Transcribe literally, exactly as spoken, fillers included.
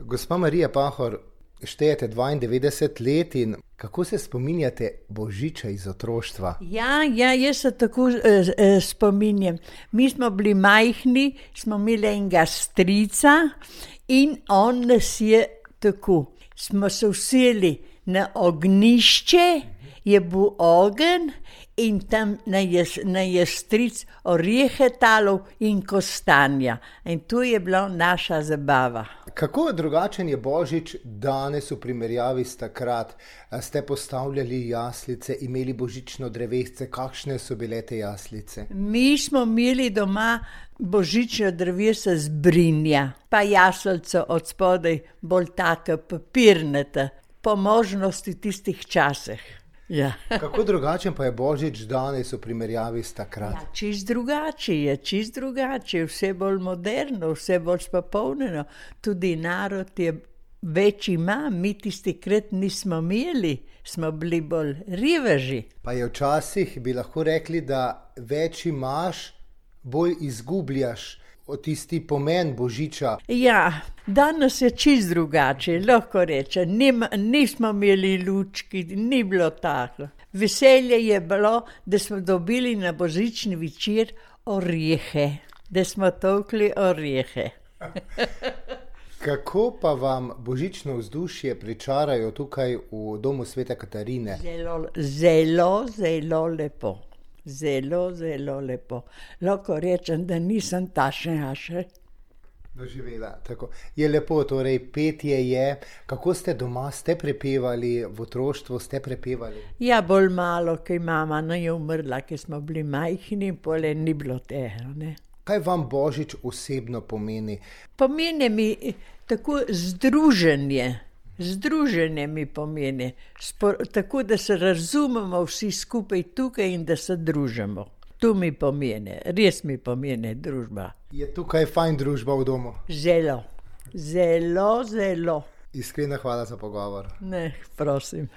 Gospa Marija Pahor, štejete dvaindevetdeset let in kako se spominjate Božiča iz otroštva? Ja, ja, jaz se tako eh, spominjam. Mi smo bili majhni, smo imeli enega strica in on nas je tako. Smo se usedli na ognjišče, je bil ogenj in tam na je stric orehe talal in kostanja. In to je bila naša zabava. Kako drugačen je Božič danes v primerjavi s takrat? Ste postavljali jaslice, imeli božično drevesce, kakšne so bile te jaslice? Mi smo imeli doma božično drevesce z brinja, pa jaslico od spodaj bolj taka papirnata, po možnosti tistih časih. Ja. Kako drugačen pa je Božič danes v primerjavi s takrat? Ja, čist drugače je, čist drugače, vse bolj moderno, vse bolj spopolnjeno. Tudi narod je več ima, mi tisti krat nismo imeli, smo bili bolj riveži. Pa je včasih, bi lahko rekli, da več imaš, bolj izgubljaš od tisti pomen Božiča. Ja, danes je čist drugače, lahko rečem. Nim, nismo imeli lučki, ni bilo tako. Veselje je bilo, da smo dobili na božični večer orehe, da smo tolkli orehe. Kako pa vam božično vzdušje pričarajo tukaj v domu Svete Katarine? Zelo, zelo, zelo lepo. Zelo, zelo lepo. Lahko rečem, da nisem tašnja še doživela. Tako. Je lepo, torej petje je. Kako ste doma, ste prepevali, v otroštvu ste prepevali? Ja, bolj malo, kaj mama no je umrla, ki smo bili majhni in pole ni bilo tega, ne. Kaj vam Božič osebno pomeni? Pomeni mi tako združenje. Združenje mi pomeni, Spor, tako da se razumemo vsi skupaj tukaj in da se družimo. To mi pomeni, res mi pomeni družba. Je tukaj fajn družba v domu? Zelo, zelo, zelo. Iskrena hvala za pogovor. Ne, prosim.